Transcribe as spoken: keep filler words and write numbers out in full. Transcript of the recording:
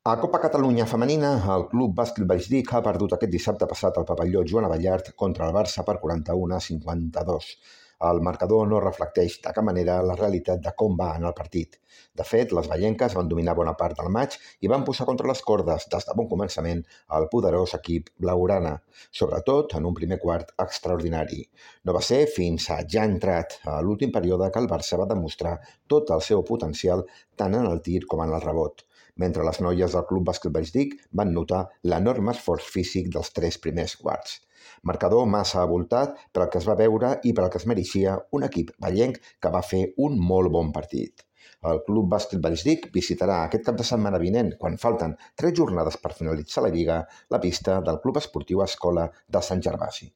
A Copa Catalunya Femenina, el Club Bàsquet Valldic ha perdut aquest dissabte passat al pavelló Joan Abellart contra el Barça per quaranta-u a cinquanta-dos. El marcador no reflecteix de cap manera la realitat de com va anar el partit. De fet, les vallenques van dominar bona part del maig i van posar contra les cordes des de bon començament el poderós equip blaugrana, sobretot en un primer quart extraordinari. No va ser fins a ja entrat a l'últim període que el Barça va demostrar tot el seu potencial tant en el tir com en el rebot, mentre les noies del Club Bàsquet Valldic van notar l'enorme esforç físic dels tres primers quarts. Marcador massa avoltat per al que es va veure i per al que es mereixia un equip vallenc que va fer un molt bon partit. El Club Bàsquet Valldic visitarà aquest cap de setmana vinent, quan falten tres jornades per finalitzar la Lliga, la pista del Club Esportiu Escola de Sant Gervasi.